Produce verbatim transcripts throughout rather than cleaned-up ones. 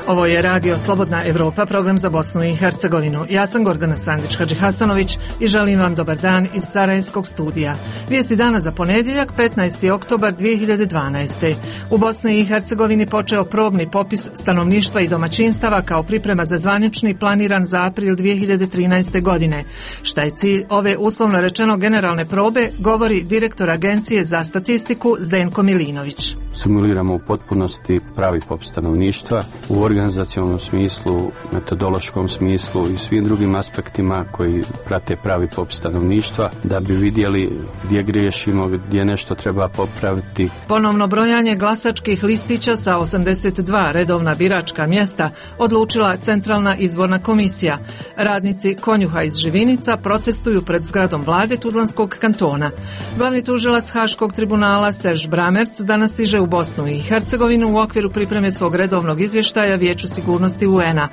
Ovo je Radio Slobodna Evropa, program za Bosnu i Hercegovinu. Ja sam Gordana Sandić-Hadžihasanović i želim vam dobar dan iz Sarajevskog studija. Vijesti dana za ponedjeljak, petnaesti oktobar dvije hiljade dvanaeste. U Bosni i Hercegovini počeo probni popis stanovništva i domaćinstava kao priprema za zvanični planiran za april dvije hiljade trinaeste. godine. Šta je cilj ove uslovno rečeno generalne probe, govori direktor Agencije za statistiku Zdenko Milinović. Simuliramo u potpunosti pravi popis stanovništva u organizacionalnom smislu, metodološkom smislu i svim drugim aspektima koji prate pravi popis stanovništva da bi vidjeli gdje griješimo, gdje nešto treba popraviti. Ponovno brojanje glasačkih listića sa osamdeset dva redovna biračka mjesta odlučila Centralna izborna komisija. Radnici konjuha iz Živinica protestuju pred zgradom vlade Tuzlanskog kantona. Glavni tužilac Haškog tribunala Serž Bramerc danas stiže u Bosnu i Hercegovinu u okviru pripreme svog redovnog izvještaja Vijeću sigurnosti U N-a.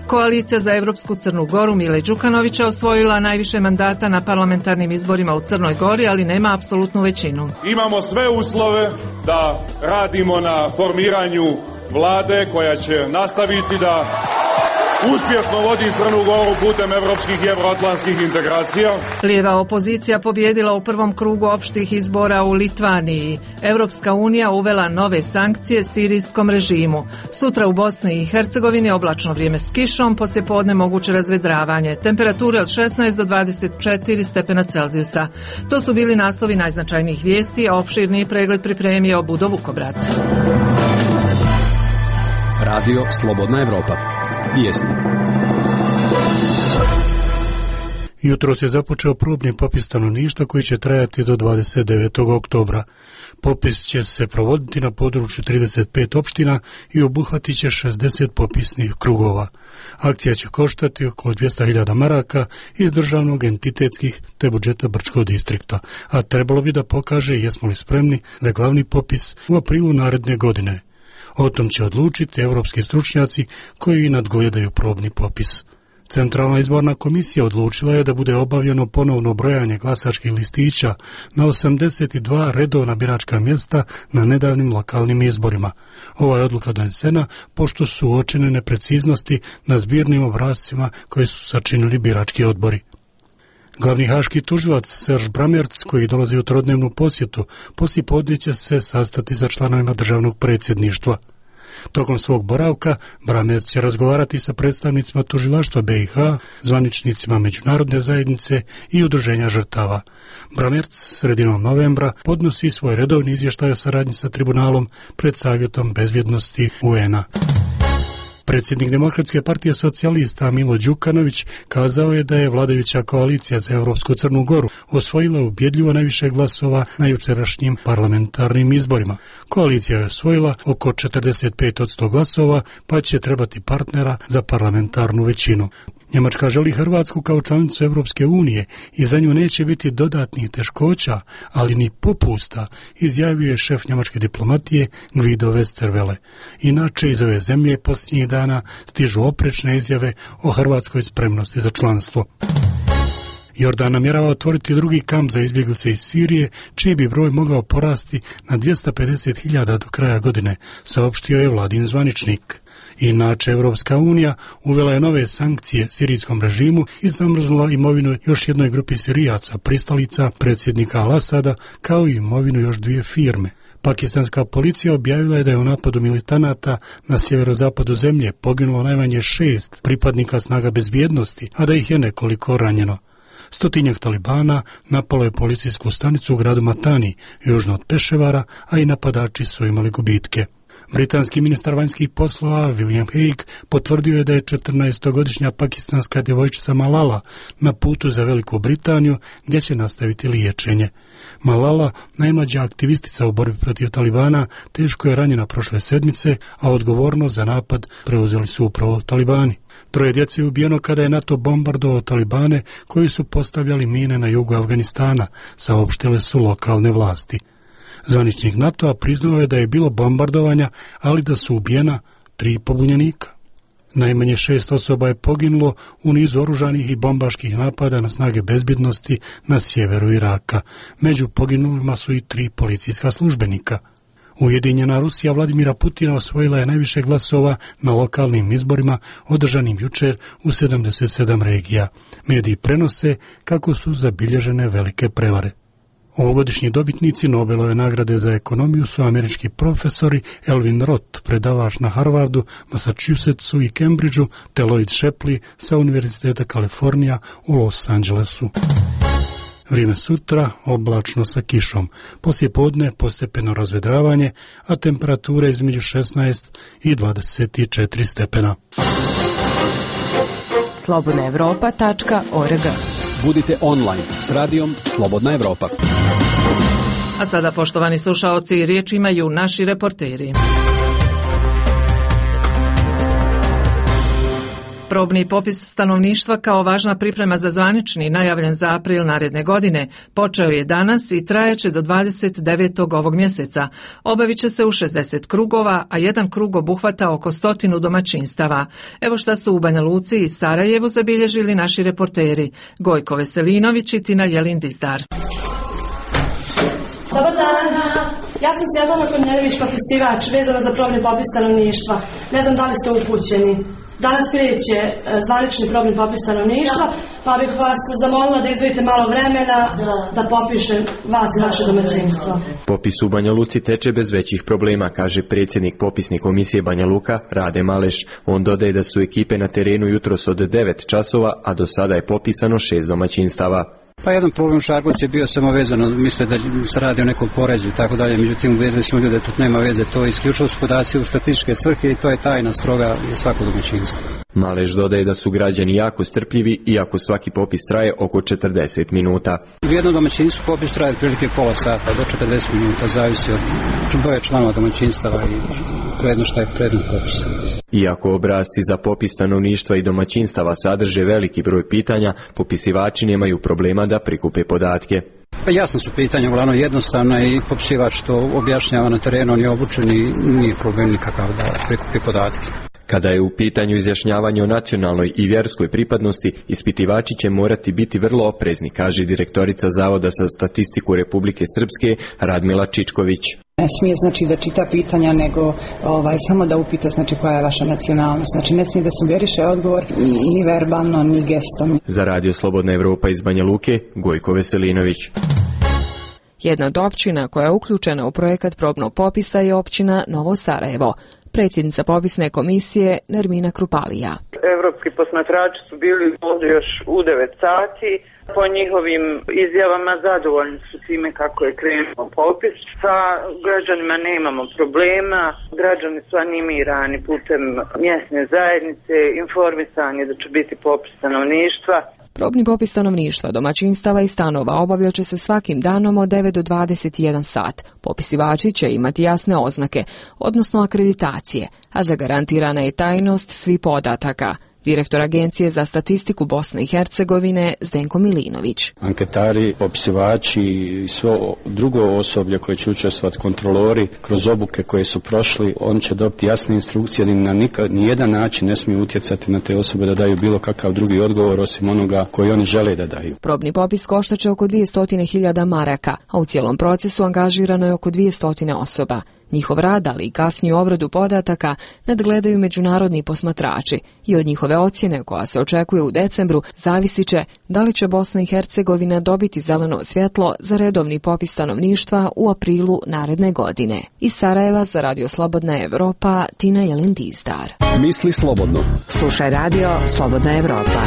Koalicija za Evropsku Crnu Goru Mile Đukanovića osvojila najviše mandata na parlamentarnim izborima u Crnoj Gori, ali nema apsolutnu većinu. Imamo sve uslove da radimo na formiranju vlade koja će nastaviti da uspješno vodi Crnu Goru putem evropskih i evroatlantskih integracija. Lijeva opozicija pobjedila u prvom krugu opštih izbora u Litvaniji. Evropska unija uvela nove sankcije sirijskom režimu. Sutra u Bosni i Hercegovini oblačno vrijeme s kišom, poslijepodne moguće razvedravanje. Temperature od šesnaest do dvadeset četiri stepena Celzijusa. To su bili naslovi najznačajnijih vijesti, a opširniji pregled pripremio Budo Vukobrat. Radio Slobodna Evropa. Vijesti. Jutros je započeo probni popis stanovništva koji će trajati do dvadeset devetog oktobra. Popis će se provoditi na području trideset pet opština i obuhvatit će šezdeset popisnih krugova. Akcija će koštati oko dvjesto hiljada maraka iz državnog, entitetskih te budžeta Brčkog distrikta, a trebalo bi da pokaže jesmo li spremni za glavni popis u aprilu naredne godine. O tom će odlučiti evropski stručnjaci koji nadgledaju probni popis. Centralna izborna komisija odlučila je da bude obavljeno ponovno brojanje glasačkih listića na osamdeset dva redovna biračka mjesta na nedavnim lokalnim izborima. Ova je odluka donesena pošto su uočene nepreciznosti na zbirnim obrascima koje su sačinili birački odbori. Glavni haški tužilac Serž Bramerc, koji dolazi u trodnevnu posjetu, poslijepodne će se sastati sa članovima državnog predsjedništva. Tokom svog boravka Bramerc će razgovarati sa predstavnicima tužilaštva B i H, zvaničnicima međunarodne zajednice i udruženja žrtava. Bramerc sredinom novembra podnosi svoj redovni izvještaj o saradnji sa tribunalom pred Savjetom bezbjednosti U N-a. Predsjednik Demokratske partije socijalista Milo Đukanović kazao je da je vladajuća koalicija za Evropsku Crnu Goru osvojila ubjedljivo najviše glasova na jučerašnjim parlamentarnim izborima. Koalicija je osvojila oko četrdeset pet posto glasova, pa će trebati partnera za parlamentarnu većinu. Njemačka želi Hrvatsku kao članicu Evropske unije i za nju neće biti dodatnih teškoća, ali ni popusta, izjavio je šef njemačke diplomatije Guido Westerwelle. Inače, iz ove zemlje posljednjih dana stižu oprečne izjave o hrvatskoj spremnosti za članstvo. Jordan namjerava otvoriti drugi kamp za izbjeglice iz Sirije, čiji bi broj mogao porasti na dvjesto pedeset hiljada do kraja godine, saopštio je vladin zvaničnik. Inače, Evropska unija uvela je nove sankcije sirijskom režimu i zamrznula imovinu još jednoj grupi Sirijaca, pristalica predsjednika Al-Asada, kao i imovinu još dvije firme. Pakistanska policija objavila je da je u napadu militanata na sjeverozapadu zemlje poginulo najmanje šest pripadnika snaga bezbjednosti, a da ih je nekoliko ranjeno. Stotinjak talibana napalo je policijsku stanicu u gradu Matani, južno od Peševara, a i napadači su imali gubitke. Britanski ministar vanjskih poslova William Hague potvrdio je da je četrnaestogodišnja pakistanska djevojčica Malala na putu za Veliku Britaniju gdje će nastaviti liječenje. Malala, najmlađa aktivistica u borbi protiv talibana, teško je ranjena prošle sedmice, a odgovornost za napad preuzeli su upravo talibani. Troje djece je ubijeno kada je NATO bombardovao talibane koji su postavljali mine na jugu Afganistana, saopštile su lokalne vlasti. Zvaničnik NATO-a priznao je da je bilo bombardovanja, ali da su ubijena tri pobunjenika. Najmanje šest osoba je poginulo u nizu oružanih i bombaških napada na snage bezbjednosti na sjeveru Iraka. Među poginulima su i tri policijska službenika. Ujedinjena Rusija Vladimira Putina osvojila je najviše glasova na lokalnim izborima održanim jučer u sedamdeset sedam regija. Mediji prenose kako su zabilježene velike prevare. Ovogodišnji dobitnici Nobelove nagrade za ekonomiju su američki profesori Elvin Roth, predavač na Harvardu, Massachusettsu i Cambridgeu, te Lloyd Shapley sa Univerziteta Kalifornija u Los Angelesu. Vrijeme sutra oblačno sa kišom. Poslije podne postepeno razvedravanje, a temperature između šesnaest i dvadeset četiri stepena. slobodna evropa tačka org. Budite online s radijom Slobodna Evropa. A sada, poštovani slušaoci, riječ imaju naši reporteri. Probni popis stanovništva kao važna priprema za zvanični, najavljen za april naredne godine, počeo je danas i trajeće do dvadeset devetog ovog mjeseca. Obavit će se u šezdeset krugova, a jedan krug obuhvata oko stotinu domaćinstava. Evo šta su u Banja Luci i Sarajevu zabilježili naši reporteri Gojko Veselinović i Tina Jelin-Dizdar. Dobar dan, ja sam Svjetlana Kornjelević, popisivač, vezana za probni popis stanovništva. Ne znam da li ste upućeni. Danas kreće zvanični probni popis stanovništva, pa bih vas zamolila da izdvojite malo vremena da popišem vas i vaše domaćinstvo. Popis u Banja Luci teče bez većih problema, kaže predsjednik popisne komisije Banja Luka, Rade Maleš. On dodaje da su ekipe na terenu jutros od devet časova, a do sada je popisano šest domaćinstava. Pa jedan problem u Šargovcu je bio samo vezano, misle da se radi o nekom porezu i tako dalje, međutim uvedili smo ljude da to nema veze, to je isključivo s podaci u statističke svrhe i to je tajna stroga za svako domaćinstvo. Maleš dodaje da su građani jako strpljivi, iako svaki popis traje oko četrdeset minuta. U jednom domaćinstvu popis traje otprilike pola sata do četrdeset minuta, zavisi od broja članova domaćinstava i predno šta je predmet popisa. Iako obrasci za popis stanovništva i domaćinstava sadrže veliki broj pitanja, popisivači nemaju problema da prikupe podatke. Pa jasno su pitanja, uglavnom jednostavna i popisivač to objašnjava na terenu, on je obučen i nije problem nikakav da prikupi podatke. Kada je u pitanju izjašnjavanje o nacionalnoj i vjerskoj pripadnosti, ispitivači će morati biti vrlo oprezni, kaže direktorica Zavoda za statistiku Republike Srpske Radmila Čičković. Ne smije znači da čita pitanja, nego ovaj, samo da upita znači koja je vaša nacionalnost. Znači ne smije da sugeriše odgovor ni verbalno, ni gestom. Za Radio Slobodna Evropa iz Banja Luke, Gojko Veselinović. Jedna od općina koja je uključena u projekat probnog popisa je općina Novo Sarajevo. Predsjednica popisne komisije Nermina Krupalija. Evropski posmatrači su bili ovdje još u devet sati. Po njihovim izjavama zadovoljni su time kako je krenuo popis. Sa građanima nemamo problema. Građani su animirani putem mjesne zajednice, informisani da će biti popis stanovništva. Probni popis stanovništva, domaćinstava i stanova obavljat će se svakim danom od devet do dvadeset jedan sat. Popisivači će imati jasne oznake, odnosno akreditacije, a zagarantirana je tajnost svih podataka. Direktor Agencije za statistiku Bosne i Hercegovine Zdenko Milinović. Anketari, popisivači i svo drugo osoblje koje će učestvovati, kontrolori, kroz obuke koje su prošli, oni će dobiti jasne instrukcije da na nikad, nijedan način ne smiju utjecati na te osobe da daju bilo kakav drugi odgovor osim onoga koji oni žele da daju. Probni popis koštaće oko dvjesto hiljada maraka, a u cijelom procesu angažirano je oko dvjesto osoba. Njihov rad, ali i kasniju obradu podataka, nadgledaju međunarodni posmatrači i od njihove ocjene, koja se očekuje u decembru, zavisit će da li će Bosna i Hercegovina dobiti zeleno svjetlo za redovni popis stanovništva u aprilu naredne godine. Iz Sarajeva za Radio Slobodna Evropa, Tina Jelin-Dizdar. Misli slobodno. Slušaj Radio Slobodna Evropa.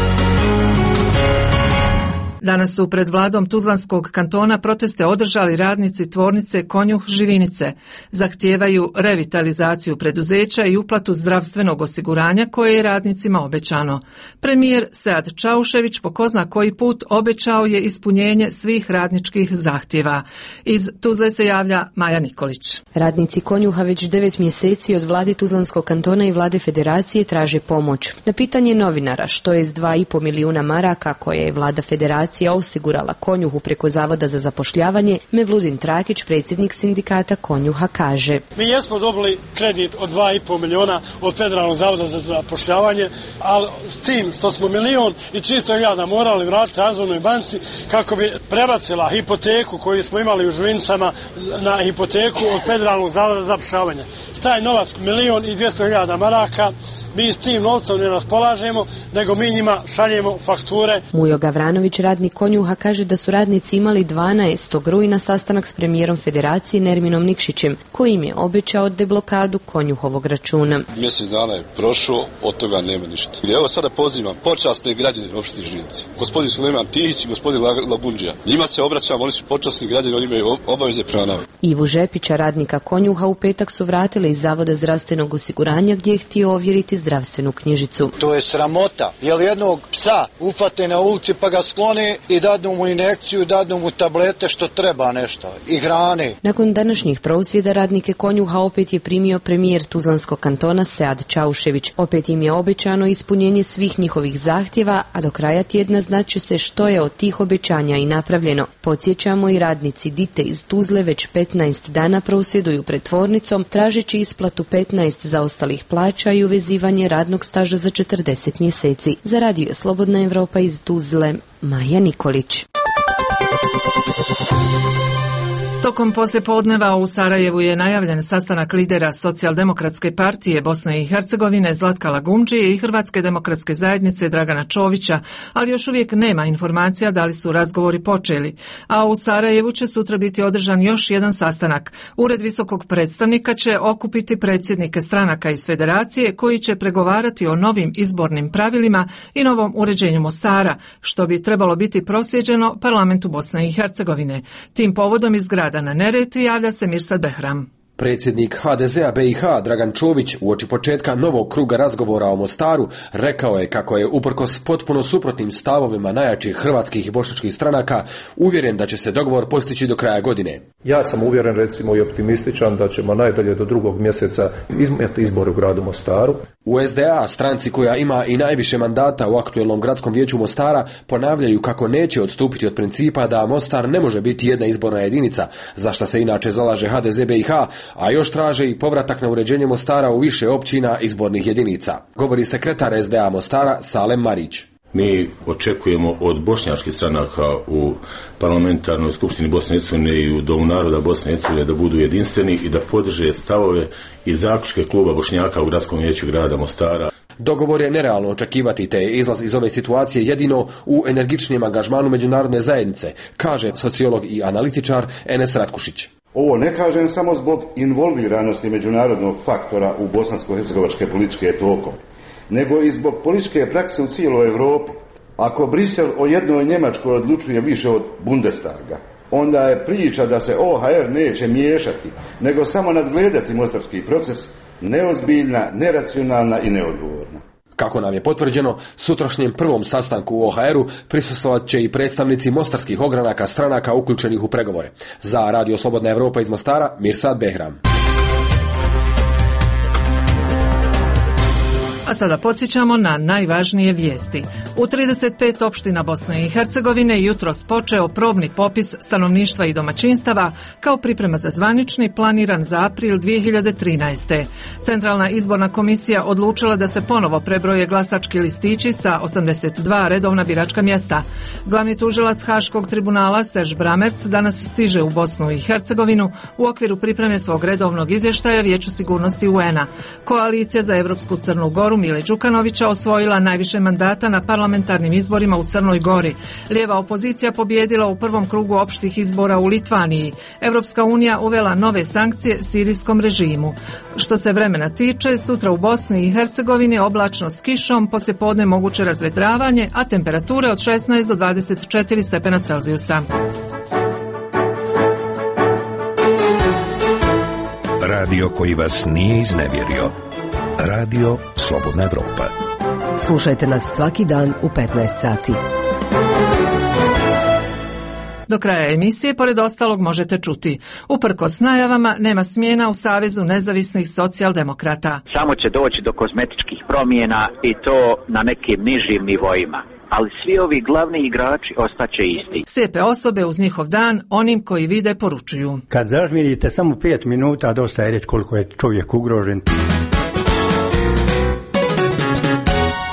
Danas su pred vladom Tuzlanskog kantona proteste održali radnici tvornice Konjuh Živinice. Zahtijevaju revitalizaciju preduzeća i uplatu zdravstvenog osiguranja koje je radnicima obećano. Premijer Sead Čaušević po ko zna koji put obećao je ispunjenje svih radničkih zahtjeva. Iz Tuzle se javlja Maja Nikolić. Radnici Konjuha već devet mjeseci od vlade Tuzlanskog kantona i vlade federacije traže pomoć. Na pitanje novinara što je s dva i pol milijuna maraka koje je vlada federacije Federacija osigurala Konjuhu preko Zavoda za zapošljavanje, Mevludin Trakić, predsjednik sindikata Konjuha, kaže: Mi jesmo dobili kredit od dva i pol milijuna od Federalnog zavoda za zapošljavanje, ali s tim što smo milion i tristo hiljada morali vratiti Razvojnoj banci kako bi prebacila hipoteku koju smo imali u Živinicama na hipoteku od Federalnog zavoda za zapošljavanje. Taj novac, milion i dvjesto hiljada maraka, mi s tim novcem ne raspolažemo, nego mi njima šaljemo fakture. Mujo Gavranović, radnik Konjuha, kaže da su radnici imali dvanaestog rujna sastanak s premijerom Federacije Nerminom Nikšićem, koji im je obećao deblokadu Konjuhovog računa. Mjesec dana je prošlo, od toga nema ništa. I evo sada pozivam počasne građane opštine Živinice, gospodin Sulejman Tihić i gospodin Lagundžija. Njima se obraćam, oni su počasni građani, oni imaju obaveze prema nama. Ivu Žepića, radnika Konjuha, u petak su vratili iz Zavoda zdravstvenog osiguranja gdje je htio ovjeriti zdravstvenu knjižicu. To je sramota, jer jednog psa ufate na ulici pa ga sklone i dadnu mu injekciju, dadnu mu tablete što treba nešto i hrane. Nakon današnjih prosvjeda radnike Konjuha opet je primio premijer Tuzlanskog kantona Sead Čaušević. Opet im je obećano ispunjenje svih njihovih zahtjeva, a do kraja tjedna znaće se što je od tih obećanja i napravljeno. Podsjećamo, i radnici Dite iz Tuzle već petnaest dana prosvjeduju pred tvornicom, tražeći isplatu petnaest zaostalih plaća i uvezivanje radnog staža za četrdeset mjeseci. Za Radio Slobodna Evropa iz Tuzle, Maja Nikolić. Tokom poslijepodneva u Sarajevu je najavljen sastanak lidera Socijaldemokratske partije Bosne i Hercegovine Zlatka Lagundžije i Hrvatske demokratske zajednice Dragana Čovića, ali još uvijek nema informacija da li su razgovori počeli. A u Sarajevu će sutra biti održan još jedan sastanak. Ured visokog predstavnika će okupiti predsjednike stranaka iz Federacije koji će pregovarati o novim izbornim pravilima i novom uređenju Mostara, što bi trebalo biti proslijeđeno parlamentu Bosne i Hercegovine. Tim povodom iz grada na Neretvi javlja se Mirsad Behram. Predsjednik ha de zea be i ha Dragan Čović uoči početka novog kruga razgovora o Mostaru rekao je kako je uprkos potpuno suprotnim stavovima najjačih hrvatskih i bošnjačkih stranaka uvjeren da će se dogovor postići do kraja godine. Ja sam uvjeren, recimo, i optimističan da ćemo najdalje do drugog mjeseca imati izbore u gradu Mostaru. U es de a, stranci koja ima i najviše mandata u aktuelnom gradskom vijeću Mostara, ponavljaju kako neće odstupiti od principa da Mostar ne može biti jedna izborna jedinica, za što se inače zalaže ha de ze be i ha, a još traže i povratak na uređenje Mostara u više općina izbornih jedinica. Govori sekretar es de a Mostara Salem Marić. Mi očekujemo od bošnjačkih stranaka u parlamentarnoj skupštini Bosne i Hercegovine i u Domu naroda Bosne i Hercegovine da budu jedinstveni i da podrže stavove i zaključke kluba Bošnjaka u gradskom vijeću grada Mostara. Dogovor je nerealno očekivati, te je izlaz iz ove situacije jedino u energičnijem angažmanu međunarodne zajednice, kaže sociolog i analitičar Enes Ratkušić. Ovo ne kažem samo zbog involviranosti međunarodnog faktora u bosansko-hercegovačke političke tokove, nego i zbog političke prakse u cijeloj Europi. Ako Brisel o jednoj Njemačkoj odlučuje više od Bundestaga, onda je priča da se o ha er neće miješati, nego samo nadgledati mostarski proces, neozbiljna, neracionalna i neodgovorna. Kako nam je potvrđeno, sutrašnjem prvom sastanku u o ha eru prisustvovat će i predstavnici mostarskih ogranaka stranaka uključenih u pregovore. Za Radio Slobodna Evropa iz Mostara, Mirsad Behram. A sada podsjećamo na najvažnije vijesti. U trideset pet opština Bosne i Hercegovine jutros počeo probni popis stanovništva i domaćinstava kao priprema za zvanični planiran za april dvije hiljade trinaeste. Centralna izborna komisija odlučila da se ponovo prebroje glasački listići sa osamdeset dva redovna biračka mjesta. Glavni tužilac Haškog tribunala Serž Bramerc danas stiže u Bosnu i Hercegovinu u okviru pripreme svog redovnog izvještaja Vijeću sigurnosti u en a. Koalicija za Evropsku Crnu Goru Mile Đukanovića osvojila najviše mandata na parlamentarnim izborima u Crnoj Gori. Lijeva opozicija pobjedila u prvom krugu opštih izbora u Litvaniji. Evropska unija uvela nove sankcije sirijskom režimu. Što se vremena tiče, sutra u Bosni i Hercegovini oblačno s kišom, poslijepodne moguće razvedravanje, a temperature od šesnaest do dvadeset četiri stepena Celzijusa. Radio koji vas nije iznevjerio. Radio Slobodna Evropa. Slušajte nas svaki dan u petnaest sati. Do kraja emisije, pored ostalog, možete čuti: uprkos najavama, nema smjena u Savezu nezavisnih socijaldemokrata. Samo će doći do kozmetičkih promjena i to na nekim nižim nivoima. ali svi ovi glavni igrači ostaće isti. Slijepe osobe uz njihov dan onim koji vide poručuju. Kad zažmirite samo pet minuta, dosta je reći koliko je čovjek ugrožen.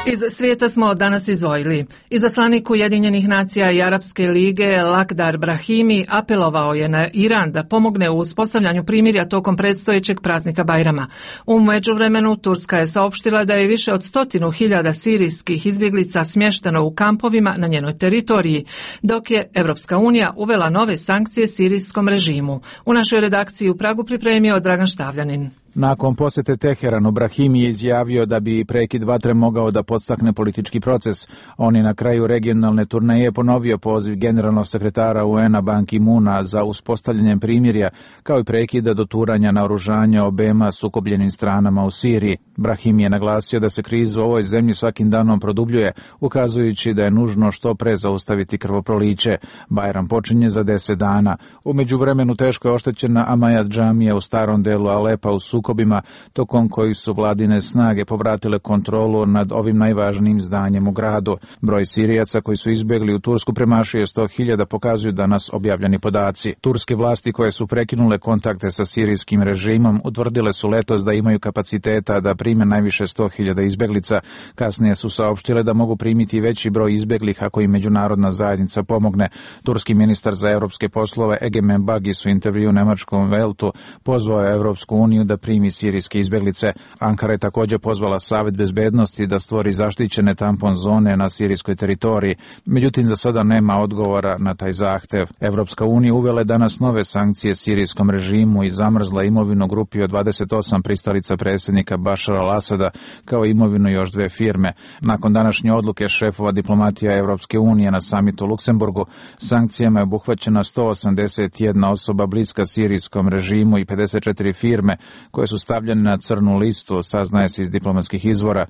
Iz svijeta smo danas izdvojili. Izaslanik Ujedinjenih nacija i Arapske lige Lakhdar Brahimi apelovao je na Iran da pomogne u uspostavljanju primirja tokom predstojećeg praznika Bajrama. U međuvremenu Turska je saopštila da je više od stotinu hiljada sirijskih izbjeglica smješteno u kampovima na njenoj teritoriji, dok je Europska unija uvela nove sankcije sirijskom režimu. U našoj redakciji u Pragu pripremio Dragan Štavljanin. Nakon posjete Teheranu, Brahimi je izjavio da bi prekid vatre mogao da podstakne politički proces. On je na kraju regionalne turneje ponovio poziv generalnog sekretara U N-a Ban Ki-moona za uspostavljanjem primirja, kao i prekida doturanja naoružanja obema sukobljenim stranama u Siriji. Brahimi je naglasio da se kriza u ovoj zemlji svakim danom produbljuje, ukazujući da je nužno što pre zaustaviti krvoproliće. Bajram počinje za deset dana. U međuvremenu teško je oštećena Amajat džamija u starom delu Alepa u sukobima, tokom kojih su vladine snage povratile kontrolu nad ovim najvažnijim zdanjem u gradu. Broj Sirijaca koji su izbjegli u Tursku premašuje sto hiljada, pokazuju danas objavljeni podaci. Turske vlasti koje su prekinule kontakte sa sirijskim režimom utvrdile su letos da imaju kapaciteta da prime najviše sto hiljada izbjeglica. Kasnije su saopštile da mogu primiti veći broj izbjeglih ako im međunarodna zajednica pomogne. Turski ministar za europske poslove Egemen Bagis u intervju u nemačkom Weltu pozvao je Europsku uniju da primi sirijske izbjeglice. Ankara je također pozvala Savet bezbednosti da stvori zaštićene tampon zone na sirijskoj teritoriji. Međutim, za sada nema odgovora na taj zahtev. Europska unija uvela je danas nove sankcije sirijskom režimu i zamrzla imovinu grupi od dvadeset osam pristalica predsjednika Bašara al-Asada, kao i imovinu još dve firme. Nakon današnje odluke šefova diplomatija Europske unije na samitu u Luksemburgu, sankcijama je obuhvaćena sto osamdeset jedna osoba bliska sirijskom režimu i pedeset četiri firme koje su stavljene na crnu listu, saznaje se iz diplomatskih izvora.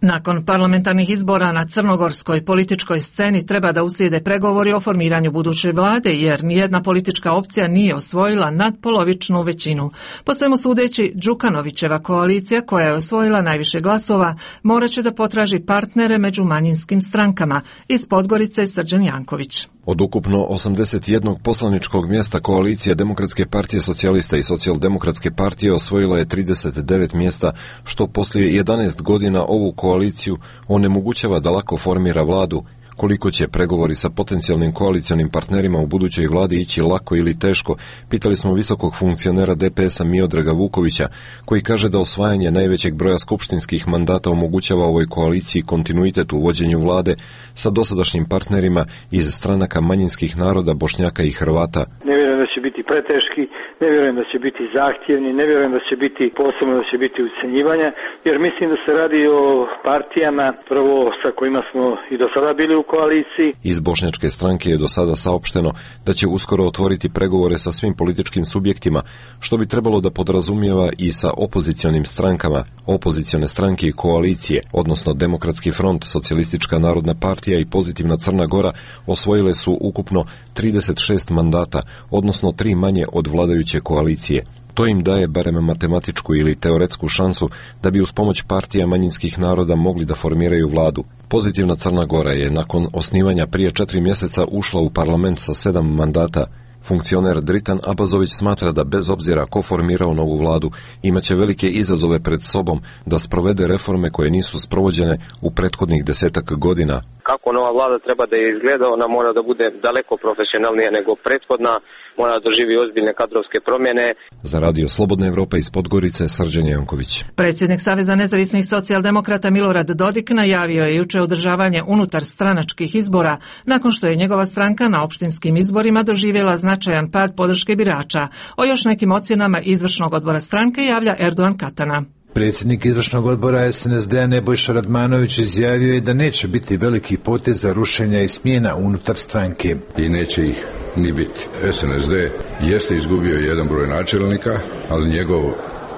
Nakon parlamentarnih izbora na crnogorskoj političkoj sceni treba da uslijede pregovori o formiranju buduće vlade, jer nijedna politička opcija nije osvojila nadpolovičnu većinu. Po svemu sudeći, Đukanovićeva koalicija, koja je osvojila najviše glasova, morat će da potraži partnere među manjinskim strankama. Iz Podgorice Srđan Janković. Od ukupno osamdeset jednog poslaničkog mjesta koalicija Demokratske partije socijalista i Socijaldemokratske partije osvojila je trideset devet mjesta, što poslije jedanaest godina ovu koaliciju onemogućava da lako formira vladu. Koliko će pregovori sa potencijalnim koalicionim partnerima u budućoj vladi ići lako ili teško, pitali smo visokog funkcionera D P S-a Miodraga Vukovića, koji kaže da osvajanje najvećeg broja skupštinskih mandata omogućava ovoj koaliciji kontinuitet u vođenju vlade sa dosadašnjim partnerima iz stranaka manjinskih naroda Bošnjaka i Hrvata. Ne vjerujem da će biti preteški, ne vjerujem da će biti zahtjevni, ne vjerujem da će biti posebno da će biti ucenjivanja, jer mislim da se radi o partijama prvo sa kojima smo i do sada bili u koaliciji. Iz Bošnjačke stranke je do sada saopšteno da će uskoro otvoriti pregovore sa svim političkim subjektima, što bi trebalo da podrazumijeva i sa opozicionim strankama, opozicione stranke i koalicije, odnosno Demokratski front, Socijalistička narodna partija i Pozitivna Crna Gora osvojile su ukupno trideset šest mandata, odnosno tri manje od vladajuće koalicije. To im daje barem matematičku ili teoretsku šansu da bi uz pomoć partija manjinskih naroda mogli da formiraju vladu. Pozitivna Crna Gora je nakon osnivanja prije četiri mjeseca ušla u parlament sa sedam mandata. Funkcioner Dritan Abazović smatra da bez obzira ko formirao novu vladu, imaće velike izazove pred sobom da sprovede reforme koje nisu sprovođene u prethodnih desetak godina. Kako nova vlada treba da je izgleda, ona mora da bude daleko profesionalnija nego prethodna, mora da doživi ozbiljne kadrovske promjene. Za Radio Slobodna Evropa iz Podgorice, Srđan Janković. Predsjednik Saveza nezavisnih socijaldemokrata Milorad Dodik najavio je juče održavanje unutar stranačkih izbora, nakon što je njegova stranka na opštinskim izborima doživjela značajan pad podrške birača. O još nekim ocjenama izvršnog odbora stranke javlja Erdogan Katana. Predsjednik izvršnog odbora S N S D-a Nebojša Radmanović izjavio je da neće biti velikih poteza rušenja i smjena unutar stranke. I neće ih ni biti. S N S D jeste izgubio jedan broj načelnika, ali njegov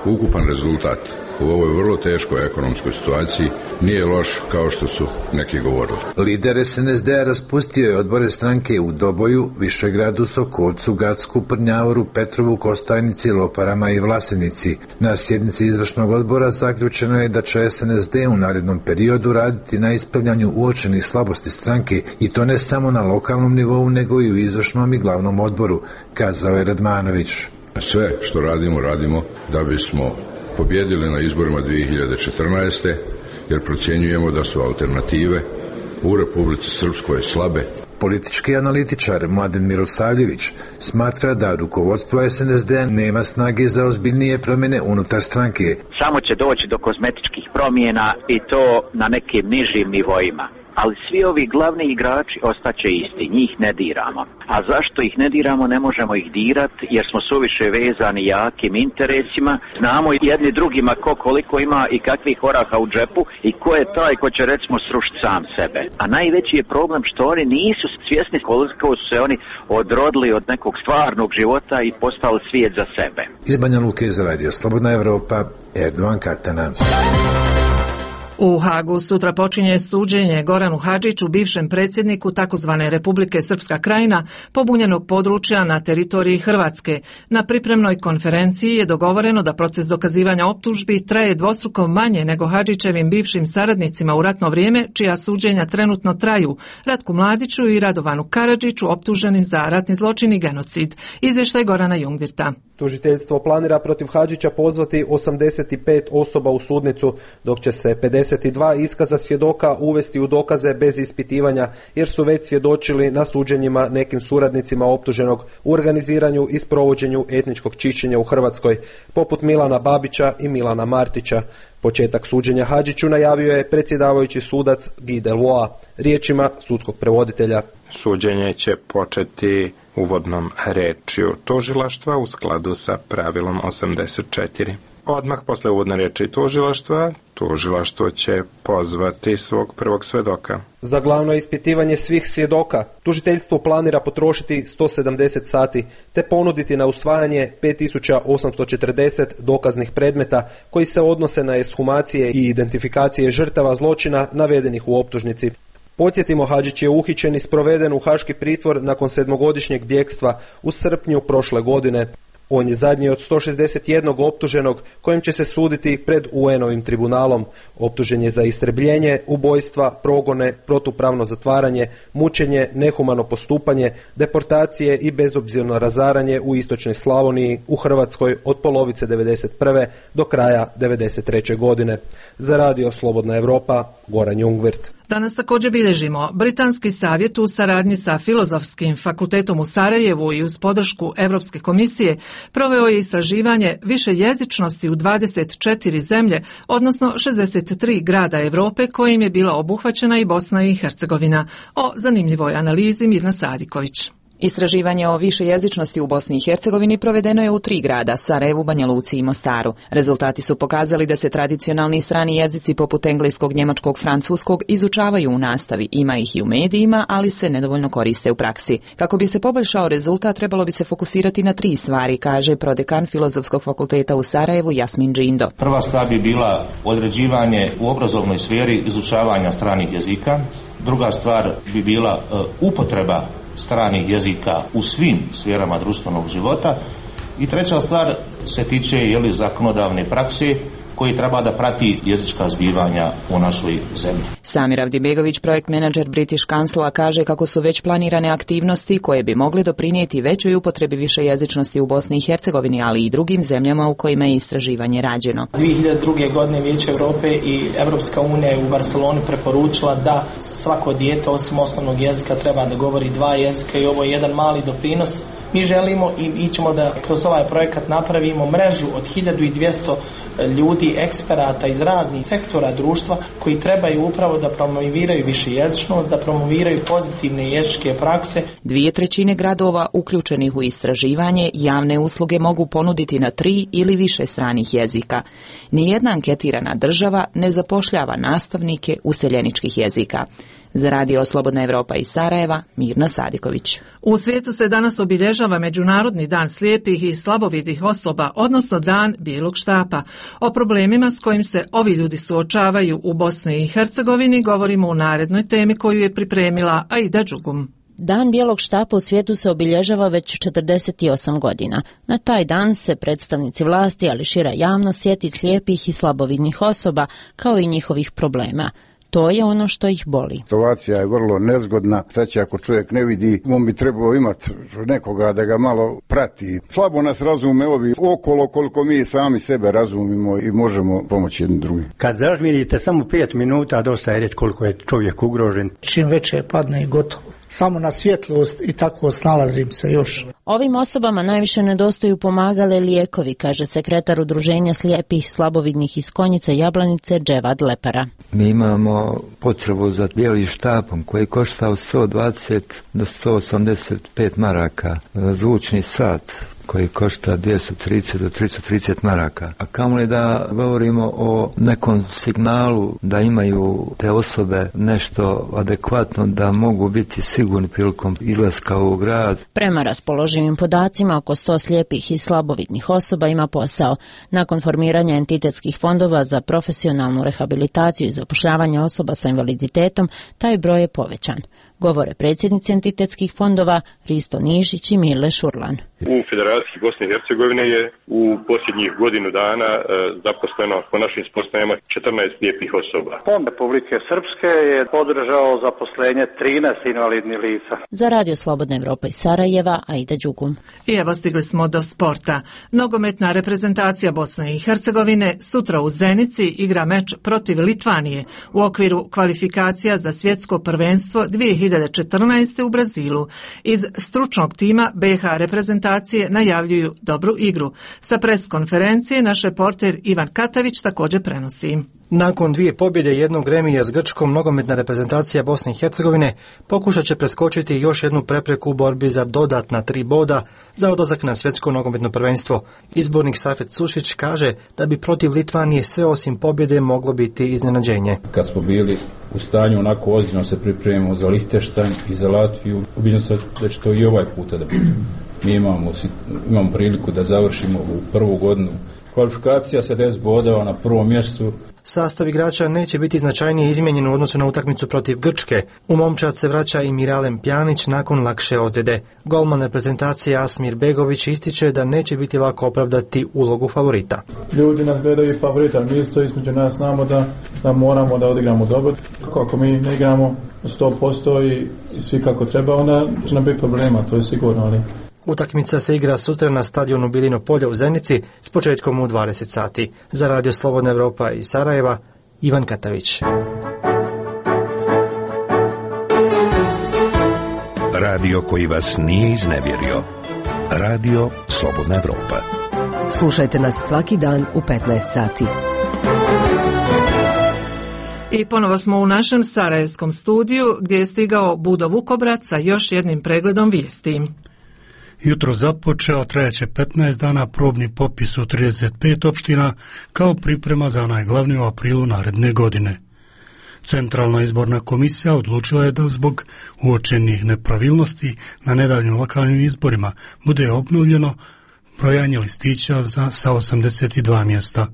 ukupan rezultat u ovoj vrlo teškoj ekonomskoj situaciji nije loš kao što su neki govorili. Lider S N S D-a raspustio je odbore stranke u Doboju, Višegradu, Sokolcu, Gacku, Prnjavoru, Petrovu, Kostajnici, Loparama i Vlasenici. Na sjednici izvršnog odbora zaključeno je da će S N S D u narednom periodu raditi na ispravljanju uočenih slabosti stranke i to ne samo na lokalnom nivou nego i u izvršnom i glavnom odboru, kazao je Radmanović. Sve što radimo, radimo da bismo pobjedili na izborima dvije hiljade četrnaeste. jer procjenjujemo da su alternative u Republici Srpskoj slabe. Politički analitičar Mladen Mirosavljević smatra da rukovodstvo S N S D-a nema snage za ozbiljnije promjene unutar stranke. Samo će doći do kozmetičkih promjena i to na nekim nižim nivoima. Ali svi ovi glavni igrači ostaće isti, njih ne diramo. A zašto ih ne diramo, ne možemo ih dirati jer smo suviše vezani jakim interesima. Znamo jedni drugima ko koliko ima i kakvih oraha u džepu i ko je taj ko će recimo srušiti sam sebe. A najveći je problem što oni nisu svjesni koliko su se oni odrodili od nekog stvarnog života i postali svijet za sebe. Iz Banja Luke za Radio Slobodna Evropa, Erdovan Katana. U Hagu sutra počinje suđenje Goranu Hadžiću, bivšem predsjedniku takozvane Republike Srpska Krajina, pobunjenog područja na teritoriji Hrvatske. Na pripremnoj konferenciji je dogovoreno da proces dokazivanja optužbi traje dvostruko manje nego Hadžićevim bivšim saradnicima u ratno vrijeme, čija suđenja trenutno traju, Ratku Mladiću i Radovanu Karadžiću, optuženim za ratni zločin i genocid. Izvještaj Gorana Jungvirta. Tužiteljstvo planira protiv Hadžića pozvati osamdeset pet osoba u sudnicu, dok će se pedeset dva iskaza svjedoka uvesti u dokaze bez ispitivanja, jer su već svjedočili na suđenjima nekim suradnicima optuženog u organiziranju i sprovođenju etničkog čišćenja u Hrvatskoj, poput Milana Babića i Milana Martića. Početak suđenja Hadžiću najavio je predsjedavajući sudac Guy Delois, riječima sudskog prevoditelja. Suđenje će početi uvodnom rečju tužilaštva u skladu sa pravilom osamdeset četiri. Odmah posle uvodne riječi tužilaštva, tužilaštvo će pozvati svog prvog svjedoka. Za glavno ispitivanje svih svjedoka, tužiteljstvo planira potrošiti sto sedamdeset sati, te ponuditi na usvajanje pet tisuća osamsto četrdeset dokaznih predmeta koji se odnose na ekshumacije i identifikacije žrtava zločina navedenih u optužnici. Podsjetimo, Hadžić je uhićen i sproveden u haški pritvor nakon sedmogodišnjeg bjegstva u srpnju prošle godine. On je zadnji od sto šezdeset jednog optuženog kojim će se suditi pred U N-ovim tribunalom. Optužen je za istrebljenje, ubojstva, progone, protupravno zatvaranje, mučenje, nehumano postupanje, deportacije i bezobzirno razaranje u istočnoj Slavoniji u Hrvatskoj od polovice devedeset prve do kraja devedeset treće godine. Za Radio Slobodna Evropa, Goran Jungvirt. Danas također bilježimo Britanski savjet u saradnji sa Filozofskim fakultetom u Sarajevu i uz podršku Europske komisije proveo je istraživanje više jezičnosti u dvadeset četiri zemlje, odnosno šezdeset tri grada Europe kojim je bila obuhvaćena i Bosna i Hercegovina. O zanimljivoj analizi Mirna Sadiković. Istraživanje o višejezičnosti u Bosni i Hercegovini provedeno je u tri grada, Sarajevu, Banja Luci i Mostaru. Rezultati su pokazali da se tradicionalni strani jezici poput engleskog, njemačkog, francuskog izučavaju u nastavi, ima ih i u medijima, ali se nedovoljno koriste u praksi. Kako bi se poboljšao rezultat, trebalo bi se fokusirati na tri stvari, kaže prodekan Filozofskog fakulteta u Sarajevu Jasmin Džindo. Prva stvar bi bila određivanje u obrazovnoj sferi izučavanja stranih jezika. Druga stvar bi bila uh, upotreba stranih jezika u svim sferama društvenog života i treća stvar se tiče jeli, zakonodavne prakse koji treba da prati jezička zbivanja u našoj zemlji. Samir Avdibegović, projekt menadžer British Councila, kaže kako su već planirane aktivnosti koje bi mogle doprinijeti većoj upotrebi višejezičnosti u Bosni i Hercegovini, ali i drugim zemljama u kojima je istraživanje rađeno. dvije hiljade druge. godine Vijeće Europe i Europska unija je u Barceloni preporučila da svako dijete osim osnovnog jezika treba da govori dva jezika i ovo je jedan mali doprinos. Mi želimo i ićemo da kroz ovaj projekat napravimo mrežu od hiljadu dvjesto ljudi, eksperata iz raznih sektora društva koji trebaju upravo da promoviraju višejezičnost, da promoviraju pozitivne jezičke prakse. Dvije trećine gradova uključenih u istraživanje javne usluge mogu ponuditi na tri ili više stranih jezika. Nijedna anketirana država ne zapošljava nastavnike useljeničkih jezika. Za radio Slobodna Evropa iz Sarajeva, Mirna Sadiković. U svijetu se danas obilježava Međunarodni dan slijepih i slabovidih osoba, odnosno dan bijelog štapa. O problemima s kojim se ovi ljudi suočavaju u Bosni i Hercegovini govorimo u narednoj temi koju je pripremila Aida Đugum. Dan bijelog štapa u svijetu se obilježava već četrdeset osam godina. Na taj dan se predstavnici vlasti, ali šira javnost sjeti slijepih i slabovidnih osoba, kao i njihovih problema. To je ono što ih boli. Situacija je vrlo nezgodna. Znači, ako čovjek ne vidi, on bi trebao imati nekoga da ga malo prati. Slabo nas razume ovi okolo koliko mi sami sebe razumimo i možemo pomoći jednim drugim. Kad zažmirite samo pet minuta, dosta je reći koliko je čovjek ugrožen. Čim veće padne i gotovo. Samo na svjetlost i tako snalazim se još. Ovim osobama najviše nedostaju pomagale lijekovi, kaže sekretar Udruženja slijepih slabovidnih iz Konjice Jablanice Dževad Lepara. Mi imamo potrebu za bijelim štapom koji košta od sto dvadeset do sto osamdeset pet maraka, zvučni sat koji košta dvjesto trideset do tristo trideset maraka. A kamoli da govorimo o nekom signalu da imaju te osobe nešto adekvatno da mogu biti sigurni prilikom izlaska u grad. Prema raspoloživim podacima, oko sto slijepih i slabovidnih osoba ima posao. Nakon formiranja entitetskih fondova za profesionalnu rehabilitaciju i zapošljavanje osoba sa invaliditetom, taj broj je povećan. Govore predsjednici entitetskih fondova Risto Nišić i Mile Šurlan. U Federaciji Bosne i Hercegovine je u posljednjih godinu dana e, zaposleno po našim spoznajama četrnaest lijepih osoba. Fond Republike Srpske je podržao zaposlenje trinaest invalidnih lica. Za radio Slobodna Evropa iz Sarajeva, Aida Đugum. I evo stigli smo do sporta. Nogometna reprezentacija Bosne i Hercegovine sutra u Zenici igra meč protiv Litvanije u okviru kvalifikacija za svjetsko prvenstvo dvije hiljade četrnaeste u Brazilu. Iz stručnog tima B H reprezentacije najavljuju dobru igru. Sa pres konferencije naš reporter Ivan Katavić također prenosi. Nakon dvije pobjede i jednog remija s Grčkom, nogometna reprezentacija Bosne i Hercegovine pokušat će preskočiti još jednu prepreku u borbi za dodatna tri boda za odlazak na svjetsko nogometno prvenstvo. Izbornik Safet Sušić kaže da bi protiv Litvanije sve osim pobjede moglo biti iznenađenje. Kad smo bili u stanju onako ozbiljno se pripremimo za Lihtenštajn i za Latviju, ubiđen sam da će to i ovaj puta da bude. Mi imamo, imamo priliku da završimo u prvu godinu kvalifikacija sa deset bodova na prvom mjestu. Sastav igrača neće biti značajnije izmijenjen u odnosu na utakmicu protiv Grčke. U momčad se vraća i Miralem Pjanić nakon lakše ozljede. Golman reprezentacije Asmir Begović ističe da neće biti lako opravdati ulogu favorita. Ljudi nas gledaju favorita, mi isto između nas znamo da, da moramo da odigramo dobro. Ako mi ne igramo sto posto i, i svi kako treba, onda će nam biti problema, to je sigurno, ali... Utakmica se igra sutra na stadionu Bilino polje u Zenici s početkom u dvadeset sati. Za radio Slobodna Evropa iz Sarajeva, Ivan Katavić. Radio koji vas nije iznevjerio. Radio Slobodna Evropa. Slušajte nas svaki dan u petnaest sati. I ponovo smo u našem sarajevskom studiju gdje je stigao Budo Vukobrac sa još jednim pregledom vijesti. Jutro započeo, trajaće petnaest dana probni popis u trideset pet opština kao priprema za najglavniji u aprilu naredne godine. Centralna izborna komisija odlučila je da zbog uočenih nepravilnosti na nedavnim lokalnim izborima bude obnovljeno brojanje listića za sa osamdeset dva mjesta.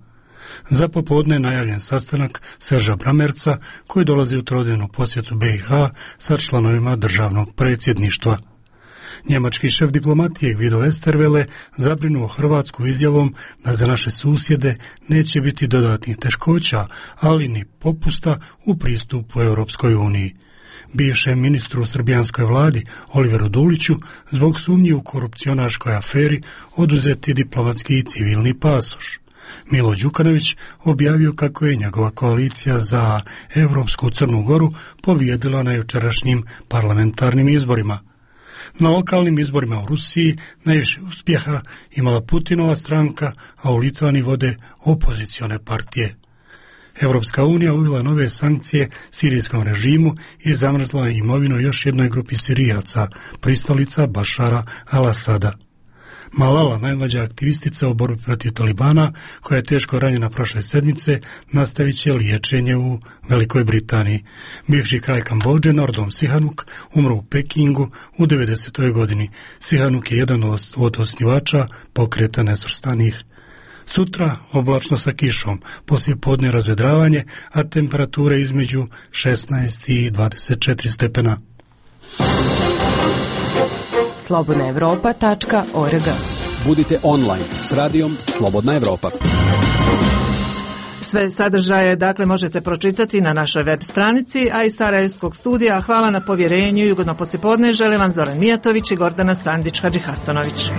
Za popodne je najavljen sastanak Serža Bramerca koji dolazi u trodnevnu posjetu B i H sa članovima državnog predsjedništva. Njemački šef diplomatije Guido Westerwelle zabrinuo Hrvatsku izjavom da za naše susjede neće biti dodatnih teškoća, ali ni popusta u pristupu Europskoj uniji. Bivšem ministru u srbijanskoj vladi Oliveru Duliću zbog sumnji u korupcionaškoj aferi oduzeti diplomatski i civilni pasoš. Milo Đukanović objavio kako je njegova koalicija za Evropsku Crnu Goru pobijedila na jučerašnjim parlamentarnim izborima. Na lokalnim izborima u Rusiji najviše uspjeha imala Putinova stranka, a u Litvani vode opozicione partije. Evropska unija uvela nove sankcije sirijskom režimu i zamrzla imovinu još jednoj grupi Sirijaca, pristalica Bašara al-Asada. Malala, najmlađa aktivistica u borbi protiv Talibana, koja je teško ranjena prošle sedmice, nastavit će liječenje u Velikoj Britaniji. Bivši kralj Kambodže, Norodom Sihanouk, umro u Pekingu u devedesetoj godini. Sihanouk je jedan od osnivača pokreta nesvrstanih. Sutra oblačno sa kišom, poslije podne razvedravanje, a temperature između šesnaest i dvadeset četiri stepena. slobodna evropa tačka org. Budite online s radijom Slobodna Evropa. Sve sadržaje dakle možete pročitati na našoj web stranici, a iz Sarajevskog studija hvala na povjerenju i ugodno poslijepodne žele vam Zoran Mijatović i Gordana Sandić-Hadžihasanović.